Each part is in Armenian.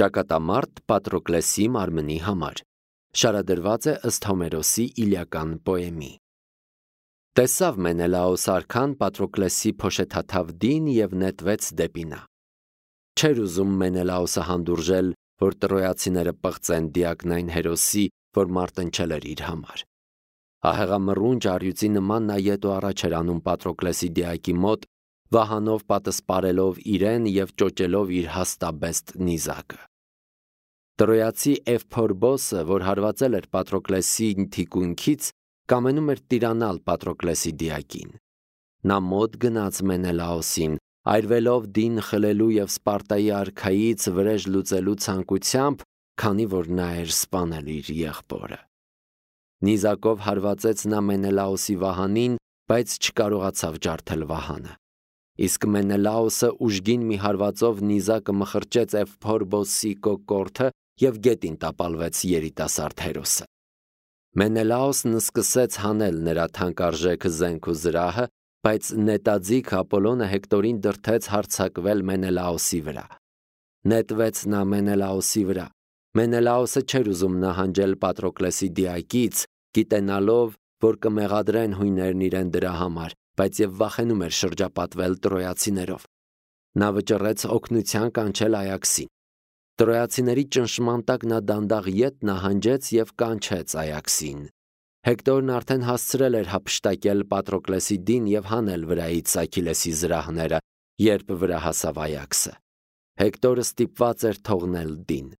Ճակատամարտ Պատրոկլեսի մարմնի համար։ Շարադրված է ըստ Հոմերոսի Իլիական պոեմի։ Տեսավ Մենելաոս արքան Պատրոկլեսի փոշեթաթավ դին և նետվեց դեպի նա։ Չէր ուզում Մենելաոսը հանդուրժել, որ տրոյացիները պղծեն Դիակնային հերոսի, որ մարտնչել էր իր համար։ Ահեղամռունչ առյուծի նման նա ետ ու առաջ էր անում Պատրոկլեսի դիակի մոտ, վահանով պատսպարելով իրեն և ճոճելով իր հաստաբեստ նիզակը։ Տրոյացի Էվփորբոսը, որ հարվածել էր Պատրոկլեսի թիկունքից, կամենում էր տիրանալ Պատրոկլեսի դիակին։ Նա մոտ գնաց Մենելաոսին, այրվելով դին խլելու և Սպարտայի արքայից վրեժ լուծելու ցանկությամբ, քանի որ նա էր սպանել իր եղբորը։ Նիզակով հարվածեց նա Մենելաոսի վահանին, բայց չկարողացավ ջարդել վահանը։ Իսկ Մենելաոսը ուժգին մի հարվածով նիզակը մխրճեց Էվփորբոսի կոկորդը և գետին տապալվեց երիտասարդ հերոսը։ Մենելաոսն սկսեց հանել նրա թանկարժեք զենք ու զրահը, բայց նետաձիգ Ապոլոնը Հեկտորին դրդեց հարձակվել Մենելաոսի վրա։ Նետվեց նա Մենելաոսի վրա։ Մենելաոսը չէր ուզում նահանջել Պատրոկլեսի դիակից, գիտենալով, որ կմեղադրեն հույներն իրեն դրա համար, բայց և վախենում էր շրջապատվել տրոյացիներով։ Նա վճռեց օգնության կանչել Այաքսին։ Տրոյացիների ճնշման տակ նա դանդաղ ետ նահանջեց և կանչեց Այաքսին։ Հեկտորն արդեն հասցրել էր հափշտակել Պատրոկլեսի դին և հանել վրայից Աքիլեսի զրահները, երբ վրա հասավ Այաքսը։ Հեկտորը ստիպված էր թողնել դին։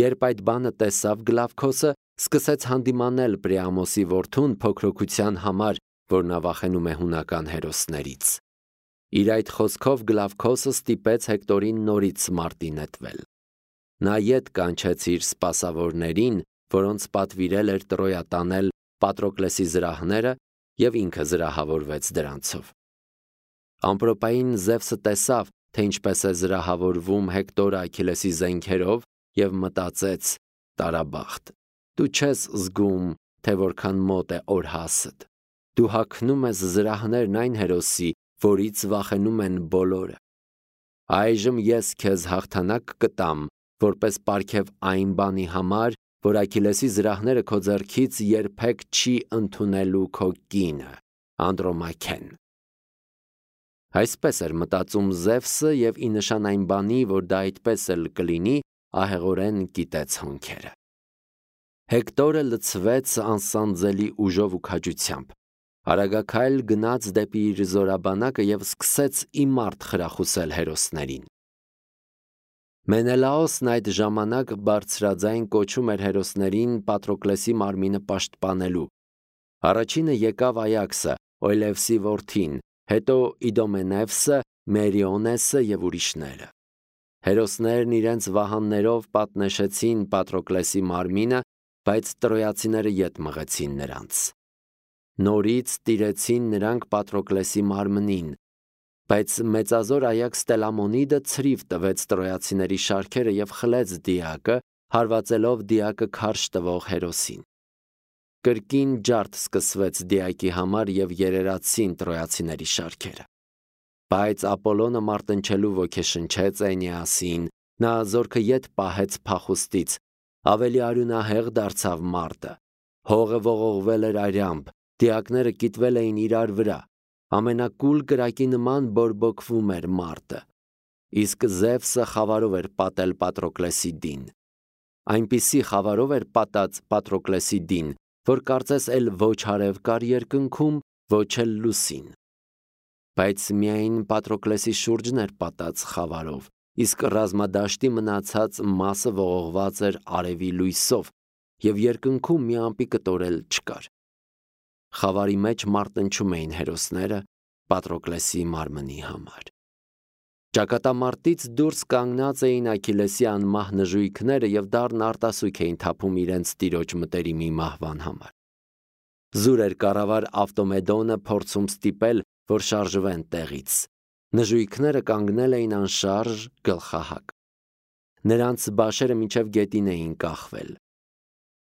Երբ այդ բանը տեսավ Գլավքոսը, սկսեց հանդիմանել Պրիամոսի որդուն փոքրոքության համար, որ նա վախենում է հունական հերոսներից։ Իր այդ խոսքով Գլավքոսը ստիպեց Հեկտորին նորից մարտի նետվել։ Նա ետ կանչեց իր սպասավորներին, որոնց պատվիրել էր Տրոյա տանել Պատրոկլեսի զրահները, և ինքը զրահավորվեց դրանցով։ Ամպրոպային Զևսը տեսավ, թե ինչպես է զրահավորվում Հեկտորը Աքիլեսի զենքերով, և մտածեց. «Տարաբախտ, դու չես զգում, թե որքան մոտ է օրհասդ։ Դու հագնում ես զրահներն այն հերոսի, որից վախենում են բոլորը։ Այժմ ես քեզ հաղթանակ կտամ, որպես պարգև այն բանի համար, որ Աքիլեսի զրահները քո ձեռքից երբեք չի ընդունելու քո կինը, Անդրոմաքեն»։ Այսպես էր մտածում Զևսը և ի նշան այն բանի, որ դա այդպես էլ կլինի, ահեղորեն կիտեց հոնքերը։ Հեկտորը լցվեց անսանձելի ուժով ու քաջությամբ։ Արագաքայլ գնաց դեպի իր զորաբանակը և սկսեց իմարտ խրախուսել հերոսներին։ Մենելաոսն այդ ժամանակ բարձրաձայն կոչում էր հերոսներին Պատրոկլեսի մարմինը պաշտպանելու։ Առաջինը եկավ Այաքսը, Օյլևսի որդին, հետո Իդոմենևսը, Մերիոնեսը և ուրիշները։ Հերոսներն իրենց վահաններով պատնեշեցին Պատրոկլեսի մարմինը, բայց տրոյացիները ետ մղեցին նրանց։ Նորից տիրեցին նրանք Պատրոկլեսի մարմնին, բայց մեծազոր Այաքս Տելամոնիդը ցրիվ տվեց տրոյացիների շարքերը և խլեց դիակը, հարվածելով դիակը քարշ տվող հերոսին։ Կրկին ջարդ սկսվեց դիակի համար և երերացին տրոյացիների շարքերը։ Բայց Ապոլոնը մարտնչելու ոգեշնչեց Էնեասին, նա զորքը ետ պահեց փախուստից, ավելի արյունահեղ դարձավ մարտը։ Հողը ողողվել էր արյամբ, դիակները կիտվել էին իրար վրա, ամենակուլ կրակի նման բորբոքվում էր մարտը։ Իսկ Զևսը խավարով էր պատել Պատրոկլեսի դին։ Այնպիսի խավարով էր պատած Պատրոկլեսի դին, որ կարծես էլ ոչ հարև կար երկնքում, ոչ էլ լուսին։ Բայց միայն Պատրոկլեսի շուրջն էր պատած խավարով, իսկ ռազմադաշտի մնացած մասը ողողված էր արևի լույսով, և երկնքում մի ամպի կտոր էլ չկար։ Խավարի մեջ մարտնչում էին հերոսները Պատրոկլեսի մարմնի համար։ Ճակատամարտից դուրս կանգնած էին Աքիլեսի անմահ նժույգները և դառն արտասուք էին թափում իրենց տիրոջ մտերիմի մահվան համար։ Զուր էր կառավար Ավտոմեդոնը փորձում ստիպել, որ շարժվեն տեղից։ Նժույգները կանգնել էին անշարժ, գլխահակ։ Նրանց բաշերը մինչև գետին էին կախվել։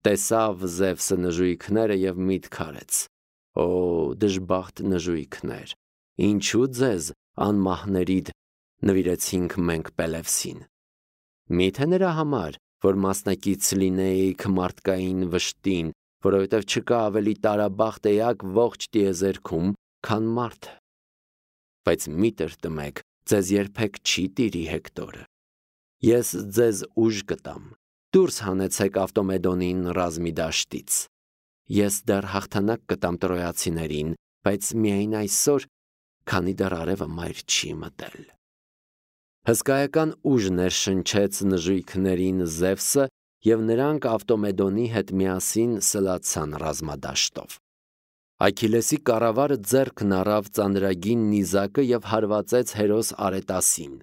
Տեսավ Զևսը նժույգները և միտք արեց. «Օ, դժբախտ նժույգներ, ինչու ձեզ անմահներիդ նվիրեցինք մենք Պելևսին։ Միթե նրա համար, որ մասնակից լինեիք մարդկային վշտին, որովհետև չկա ավելի տարաբախտ էակ ողջ տիեզերքում, քան մարդը։ Բայց մի տրտմեք, ձեզ երբեք չի տիրի Հեկտորը։ Ես ձեզ ուժ կտամ, դուրս հանեցեք Ավտոմեդոնին ռազմի դաշտից։ Ես դեռ հաղթանակ կտամ տրոյացիներին, բայց միայն այսօր, քանի դեռ արևը մայր չի մտել։ Հսկայական ուժ ներշնչեց նժույգներին Զևսը, և նրանք Ավտոմեդոնի հետ միասին սլացան ռազմադաշտով։ Այքիլեսի կառավարը ձեռքն առավ ծանրագին նիզակը և հարվածեց հերոս Արետասին,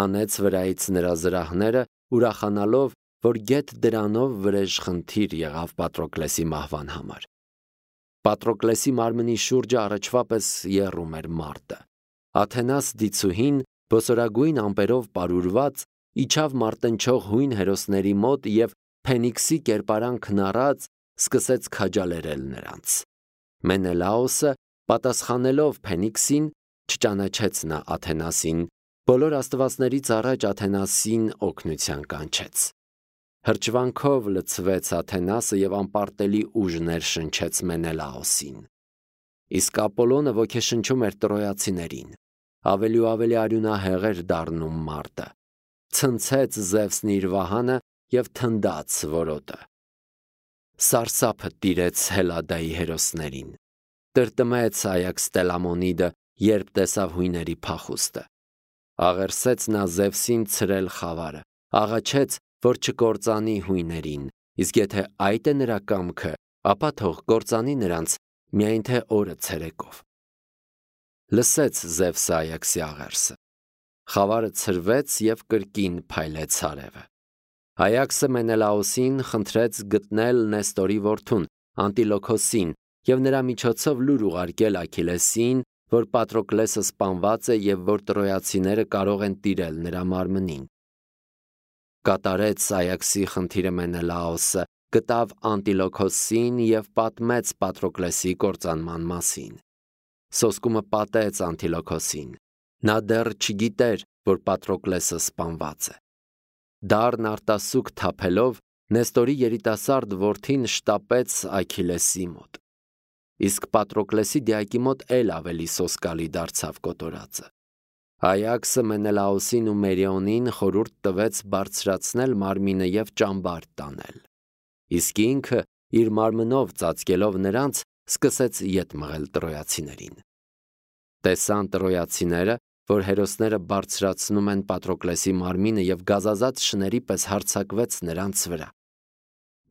հանեց վրայից նրա զրահները, ուրախանալով, որ գեթ դրանով վրեժխնդիր եղավ Պատրոկլեսի մահվան համար։ Պատրոկլեսի մարմնի շուրջը առաջվա պես եռում էր մարտը։ Աթենաս դիցուհին, բոսորագույն ամպերով պարուրված, իջավ մարտնչող հույն հերոսների մոտ և Փենիքսի կերպարանքն առած սկսեց քաջալերել նրանց։ Մենելաոսը, պատասխանելով Փենիքսին, չճանաչեց նա Աթենասին, բոլոր աստվածներից առաջ Աթենասին օգնության կանչեց։ Հրճվանքով լցվեց Աթենասը և անպարտելի ուժ ներշնչեց Մենելաոսին։ Իսկ Ապոլոնը ոգեշնչում էր տրոյացիներին, ավելի ու ավելի արյունահեղ էր դառնում մարտը, ցնցեց Զևսն իր վահանը և թնդաց որոտը։ Սարսափը տիրեց Հելադայի հերոսներին։ Տրտմեց Այաքս Տելամոնիդը, երբ տեսավ հույների փախուստը։ Աղերսեց նա Զևսին ցրել խավարը, աղաչեց, որ չկործանի հույներին, իսկ եթե այդ է նրա կամքը, ապա թող կործանի նրանց, միայն թե օրը ցերեկով։ Լսեց Զևսը Այաքսի աղերսը։ Խավարը ցրվեց և կրկին փայլեց արևը։ Այաքսը Մենելաոսին խնդրեց գտնել Նեստորի որդուն, Անտիլոքոսին, և նրա միջոցով լուր ուղարկել Աքիլեսին, որ Պատրոկլեսը սպանված է և որ տրոյացիները կարող են տիրել նրա մարմնին։ Կատարեց Այաքսի խնդիրը Մենելաոսը, գտավ Անտիլոքոսին և պատմեց Պատրոկլեսի կործանման մասին։ Սոսկումը պատեց Անտիլոքոսին։ Նա դեռ չգիտեր, որ Պատրոկլեսը սպանված է։ Դառն արտասուք թափելով, Նեստորի երիտասարդ որդին շտապեց Աքիլեսի մոտ։ Իսկ Պատրոկլեսի դիակի մոտ էլ ավելի սոսկալի դարձավ կոտորածը։ Այաքսը Մենելաոսին ու Մերիոնին խորհուրդ տվեց բարձրացնել մարմինը և ճամբար տանել։ Իսկ ինքը, իր մարմնով ծածկելով նրանց, սկսեց ետ մղել տրոյացիներին։ Տեսան տրոյացիները, որ հերոսները բարձրացնում են Պատրոկլեսի մարմինը և գազազած շների պես հարձակվեց նրանց վրա։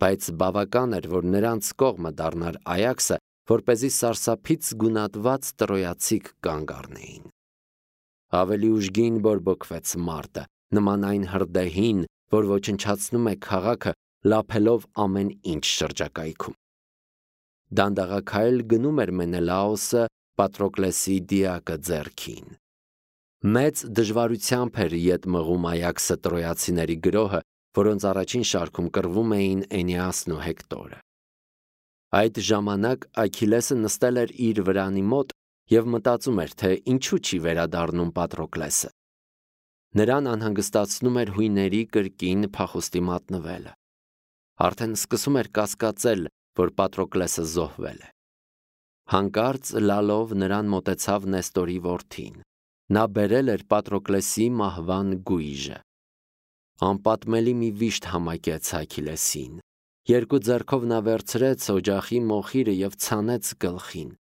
Բայց բավական էր, որ նրանց կողմը դառնար Այաքսը, որպեսզի սարսափից գունատված տրոյացիք կանգ առնեին։ Ավելի ուժգին բորբոքվեց մարտը, նման այն հրդեհին, որ ոչնչացնում է քաղաքը, լափելով ամեն ինչ շրջակայքում։ Դանդաղաքայլ գնում էր Մենելաոսը Պատրոկլեսի դիակը ձեռքին։ Մեծ դժվարությամբ էր ետ մղում Այաքսը տրոյացիների գրոհը, որոնց առաջին շարքում կռվում էին Էնեասն ու Հեկտորը։ Այդ ժամանակ Աքիլեսը նստել էր իր վրանի մոտ և մտածում էր, թե ինչու չի վերադառնում Պատրոկլեսը։ Նրան անհանգստացնում էր հույների կրկին փախուստի մատնվելը։ Արդեն սկսում էր կասկածել, որ Պատրոկլեսը զոհվել է։ Հանկարծ լալով նրան մոտեցավ Նեստորի որդին։ Նա բերել էր Պատրոկլեսի մահվան գույժը։ Անպատմելի մի վիշտ համակեց Աքիլեսին։ Երկու ձեռքով նա վերցրեց օջախի մոխիրը և ցանեց գլխին։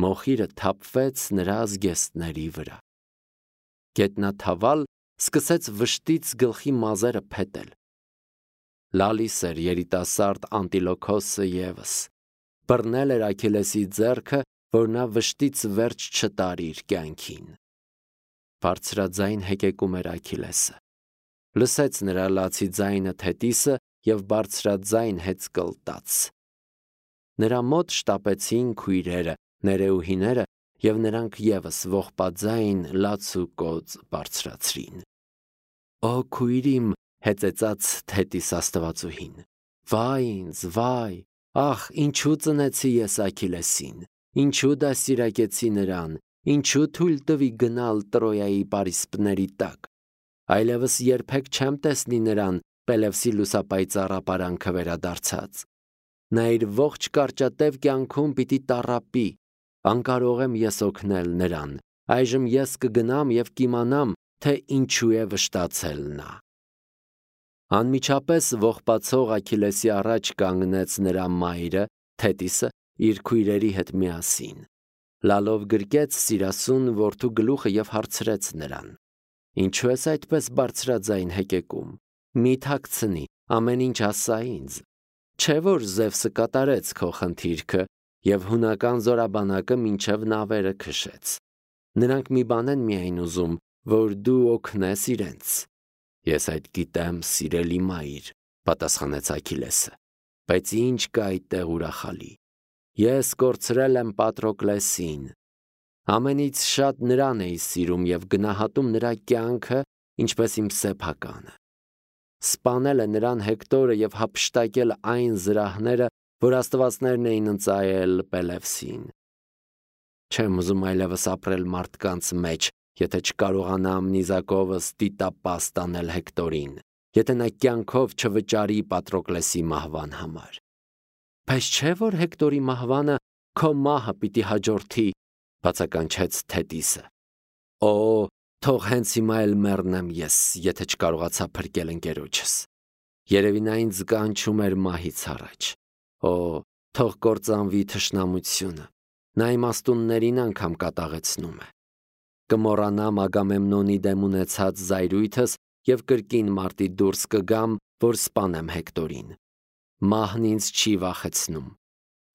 Մոխիրը թափվեց նրա զգեստների վրա։ Գետնաթավալ սկսեց վշտից գլխի մազերը փետել։ Լալիս էր երիտասարդ Անտիլոքոսը ևս։ Բռնել էր Աքիլեսի ձեռքը, որ նա վշտից վերջ չտար իր կյանքին։ Բարձրաձայն հեկեկում էր Աքիլեսը։ Լսեց նրա լացի ձայնը Թետիսը և բարձրաձայն հեծկլտաց։ Նրա մոտ շտապեցին քույրերը, ներեուհիները, և նրանք ևս ողբաձայն լաց ու կոծ բարձրացրին։ Օ քույրիմ, հեծեծաց Թետիս աստվածուհին, վայ ինձ, վայ, ախ, ինչու ծնեցի ես Աքիլեսին, ինչու դաստիարակեցի նրան, ինչու թույլ տվի գնալ Տրոյայի պարիսպների տակ։ Այլևս երբեք չեմ տեսնի նրան Պելևսի լուսապայծառ ապարանքը վերադարձած։ Նա իր ողջ կարճատև կյանքում պիտի տառապի, անկարող եմ ես օգնել նրան, այժմ ես կգնամ և կիմանամ, թե ինչու է վշտացել նա։ Անմիջապես ողբացող Աքիլեսի առաջ կանգնեց նրա մայրը, Թետիսը, իր քույրերի հետ միասին։ Լալով գրկեց սիրասուն որդու գլուխը և հարցրեց նրան. «Ինչու ես այդպես բարձրաձայն հեկեկում։ Մի թաքցնի, ամեն ինչ ասա ինձ։ Չէ՞ որ Զևսը կատարեց քո խնդիրքը և հունական զորաբանակը մինչև նավերը քշեց։ Նրանք մի բան են միայն ուզում, որ դու օգնես իրենց»։ «Ես այդ գիտեմ, սիրելի մայր», պատասխանեց Աքիլեսը, «բայց ինչ կա այդտեղ ուրախալի։ Ես կորցրել եմ Պատրոկլեսին։ Ամենից շատ նրան էի սիրում և գնահատում նրա կյանքը, ինչպես իմ սեփականը։ Սպանել է նրան Հեկտորը և հափշտակել այն զրահները, որ աստվածներն էին ընծայել Պելևսին։ Չեմ ուզում այլևս ապրել մարդկանց մեջ, եթե չկարողանամ նիզակովս դիտապաս տանել Հեկտորին, եթե նա կյանքով չվճարի Պատրոկլեսի մահվան համար։ Բայց չէ՞ որ Հեկտորի մահվանը քո մահը պիտի հաջորդի, բացականչեց Թետիսը։ Օ, թող հենց հիմա էլ մեռնեմ ես, եթե չկարողացա փրկել ընկերոջս։ Երևի նա ինձ կանչում էր մահից առաջ։ Օ, թող կործանվի թշնամությունը։ Նա իմաստուններին անգամ կատաղեցնում է։ Կմոռանամ Ագամեմնոնի դեմ ունեցած զայրույթս և կրկին մարտի դուրս կգամ, որ սպանեմ Հեկտորին։ Մահն ինձ չի վախեցնում։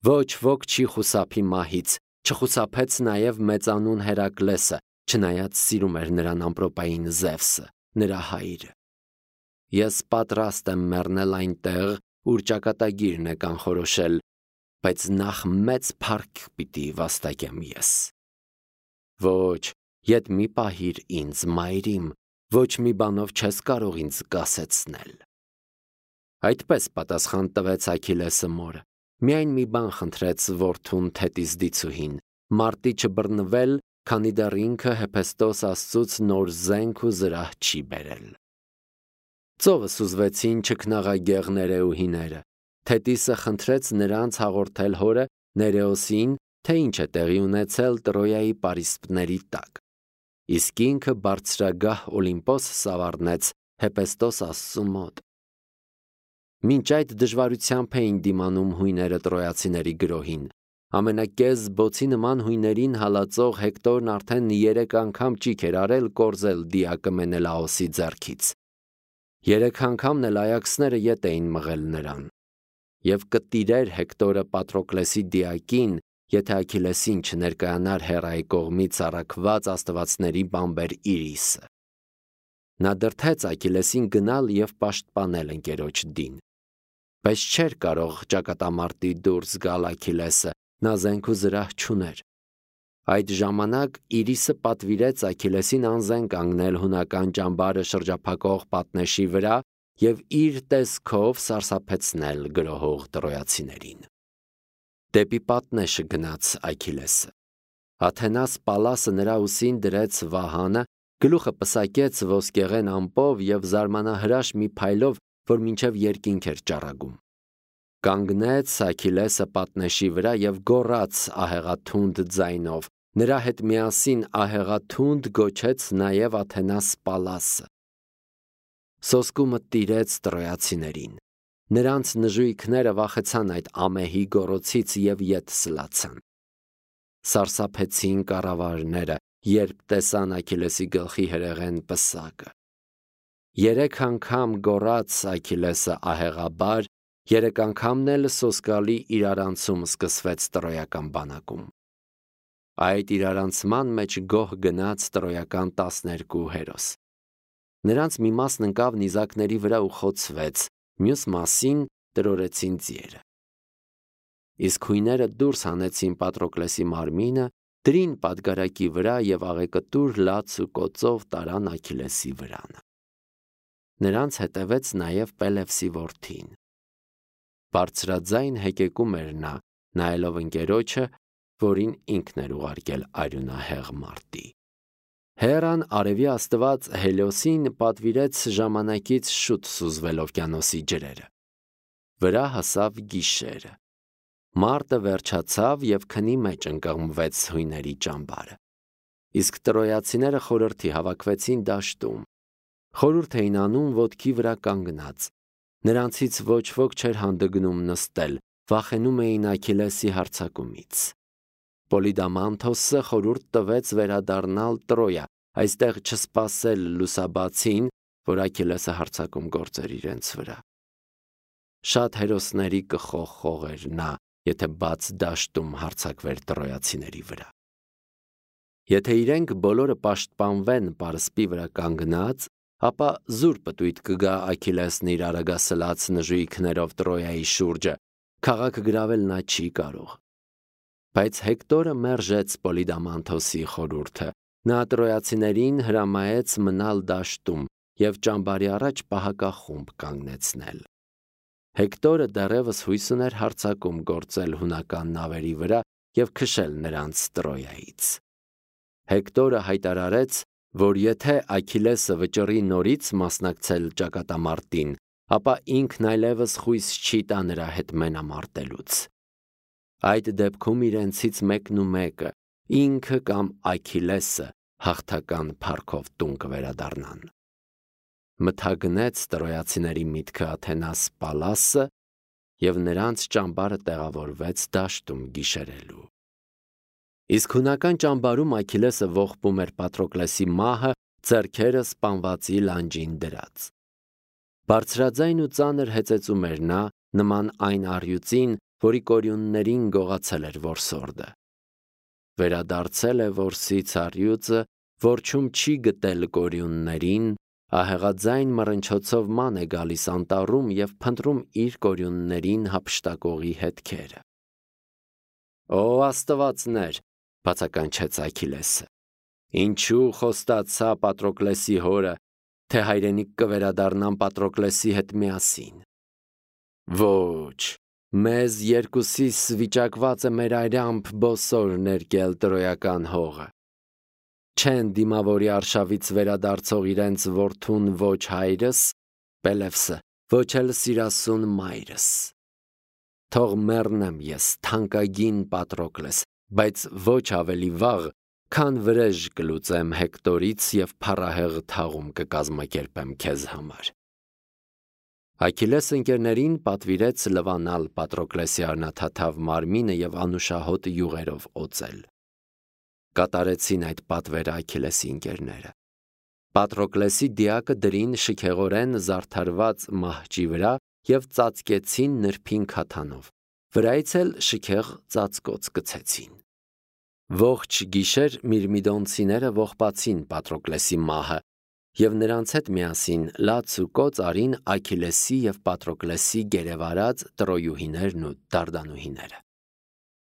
Ոչ ոք չի խուսափի մահից, չխուսափեց նաև մեծանուն Հերակլեսը, չնայած սիրում էր նրան ամպրոպային Զևսը, նրա հայրը։ Ես պատրաստ եմ մեռնել այնտեղ, ուր ճակատագիրն է կանխորոշել, բայց նախ մեծ փառք պիտի վաստակեմ ես։ Ոչ, ետ մի պահիր ինձ, մայրիմ, ոչ մի բանով չես կարող ինձ կասեցնել։ Այդպես պատասխան տվեց Աքիլեսը մորը։ Միայն մի բան խնդրեց որդուն Թետիս դիցուհին՝ մարտի չբռնվել, քանի դեռ ինքը Հեփեստոս աստծուց նոր զենք ու զրահ չի բերել։ Ծովը սուզվեցին չքնաղագեղ ներեուհիները։ Թետիսը խնդրեց նրանց հաղորդել հորը Ներեոսին, թե ինչ է տեղի ունեցել Տրոյայի պարիսպների տակ։ Իսկ ինքը բարձրագահ Օլիմպոս սավառնեց Հեպեստոս աստծու մոտ։ Մինչ այդ դժվարությամբ էին դիմանում հույները տրոյացիների գրոհին։ Ամենակեզ բոցի նման հույներին հալածող Հեկտորն արդեն 3 անգամ ճիգ էր արել կորզել դիակը Մենելաոսի ձեռքից։ 3 անգամն էլ այաքսները ետ էին մղել նրան։ Եվ կտիրեր Հեկտորը Պատրոկլեսի դիակին, եթե Աքիլեսին չներկայանար Հերայի կողմից առաքված աստվածների բամբեր Իրիսը։ Նա դրդեց Աքիլեսին գնալ և պաշտպանել ընկերոջ դին։ Բայց չէր կարող ճակատամարտի դուրս գալ Աքիլեսը, նա զենք ու զրահ չուներ։ Այդ ժամանակ Իրիսը պատվիրեց Աքիլեսին անզեն կանգնել հունական ճամբարը շրջափակող պատնեշի վրա և իր տեսքով սարսափեցնել գրոհող տրոյացիներին։ Դեպի պատնեշը գնաց Աքիլեսը։ Աթենաս Պալասը նրա ուսին դրեց վահանը, գլուխը պսակեց ոսկեղեն ամպով և զարմանահրաշ մի փայլով, որ մինչև երկինք էր ճառագում։ Կանգնեց Աքիլեսը պատնեշի վրա և գոռաց ահեղաթունդ ձայնով։ Նրա հետ միասին ահեղաթունդ գոչեց նաև Աթենաս Պալասը։ Սոսկումը տիրեց տրոյացիներին։ Նրանց նժույգները վախեցան այդ ամեհի գոռոցից և ետ սլացան։ Սարսափեցին կառավարները, երբ տեսան Աքիլեսի գլխի հրեղեն պսակը։ 3 անգամ գոռաց Աքիլեսը ահեղաբար, 3 անգամն էլ սոսկալի իրարանցում սկսվեց տրոյական բանակում։ Այդ իրարանցման մեջ գոհ գնաց տրոյական 12 հերոս։ Նրանց մի մասն ընկավ նիզակների վրա ու խոցվեց, մյուս մասին տրորեցին ձիերը։ Իսկ հույները դուրս հանեցին Պատրոկլեսի մարմինը, դրին պատգարակի վրա և աղեկտուր լաց ու կոծով տարան Աքիլեսի վրանը։ Նրանց հետևեց նաև Պելևսի որդին։ Բարձրաձայն հեկեկում էր նա, նայելով ընկերոջը, որին ինքն էր ուղարկել արյունահեղ մարտի։ Հերան արևի աստված Հելիոսին պատվիրեց ժամանակից շուտ սուզվել օվկիանոսի ջրերը։ Վրա հասավ գիշերը։ Մարտը վերջացավ և քնի մեջ ընկղմվեց հույների ճամբարը։ Իսկ տրոյացիները խորհրդի հավաքվեցին դաշտում։ Խորհուրդ էին անում ոտքի վրա կանգնած։ Նրանցից ոչ ոք չէր հանդգնում նստել, վախենում էին Աքիլեսի հարձակումից։ Պոլիդամանթոսը խորհուրդ տվեց վերադառնալ Տրոյա, այստեղ չսպասել լուսաբացին, որ Աքիլեսը հարձակում գործեր իրենց վրա։ Շատ հերոսների կխողեր նա, եթե բաց դաշտում հարձակվեր տրոյացիների վրա։ Եթե իրենք բոլորը պաշտպանվեն պարսպի վրա կանգնած, ապա զուր պտույտ կգա Աքիլեսն իր արագասլաց նժույգներով Տրոյայի շուրջը, քաղաքը գրավել նա չի կարող։ Բայց Հեկտորը մերժեց Պոլիդամանթոսի խորհուրդը, նա տրոյացիներին հրամայեց մնալ դաշտում և ճամբարի առաջ պահակախումբ կանգնեցնել։ Հեկտորը դեռևս հույս ուներ հարձակում գործել հունական նավերի վրա և քշել նրանց Տրոյայից։ Հեկտորը հայտարարեց, որ եթե Աքիլեսը վճռի նորից մասնակցել ճակատամարտին, ապա ինքն այլևս խույս չի տա նրա հետ մենամարտելուց։ Այդ դեպքում իրենցից մեկն ու մեկը, ինքը կամ Աքիլեսը, հաղթական փառքով տուն կվերադառնան։ Մթագնեց տրոյացիների միտքը Աթենաս Պալասը, և նրանց ճամբարը տեղավորվեց դաշտում գիշերելու։ Իսկ հունական ճամբարում Աքիլեսը ողբում էր Պատրոկլեսի մահը, ձեռքերը սպանվածի լանջին դրած։ Բարձրաձայն ու ծանր հեծեծում էր նա, նման այն առյուծին, որի կորյուններին գողացել էր որսորդը։ Վերադարձել է որսից առյուծը, որջում չի գտել կորյուններին, ահեղաձայն մռնչոցով ման է գալիս անտառում և փնտրում իր կորյուններին հափշտակողի հետքերը։ «Ո աստվածներ», բացականչեց Աքիլեսը, «ինչու խոստացա Պատրոկլեսի հորը, թե հայրենիք կվերադառնամ Պատրոկլեսի հետ միասին։ Ոչ, մեզ երկուսիս վիճակված է մեր այրամբ բոսոր ներկել տրոյական հողը։ Չեն դիմավորի արշավից վերադարձող իրենց որդուն ոչ հայրս, Պելևսը, ոչ էլ սիրասուն մայրս։ Թող մեռնեմ ես, թանկագին Պատրոկլես, բայց ոչ ավելի վաղ, քան վրեժ կլուծեմ Հեկտորից և փառահեղ թաղում կկազմակերպեմ քեզ համար»։ Աքիլես ընկերներին պատվիրեց լվանալ Պատրոկլեսի առնաթաթավ մարմինը և անուշահոտ յուղերով օծել։ Կատարեցին այդ պատվերը Աքիլեսի ընկերները։ Պատրոկլեսի դիակը դրին շքեղորեն զարդարված մահճի վրա և ծածկեցին նրբին քաթանով, վրայից էլ շքեղ ծածկոց գցեցին։ Ողջ գիշեր միրմիդոնցիները ողբացին Պատրոկլեսի մահը և նրանց հետ միասին լաց ու կոծ արին Աքիլեսի և Պատրոկլեսի գերեվարած տրոյուհիներն ու դարդանուհիները։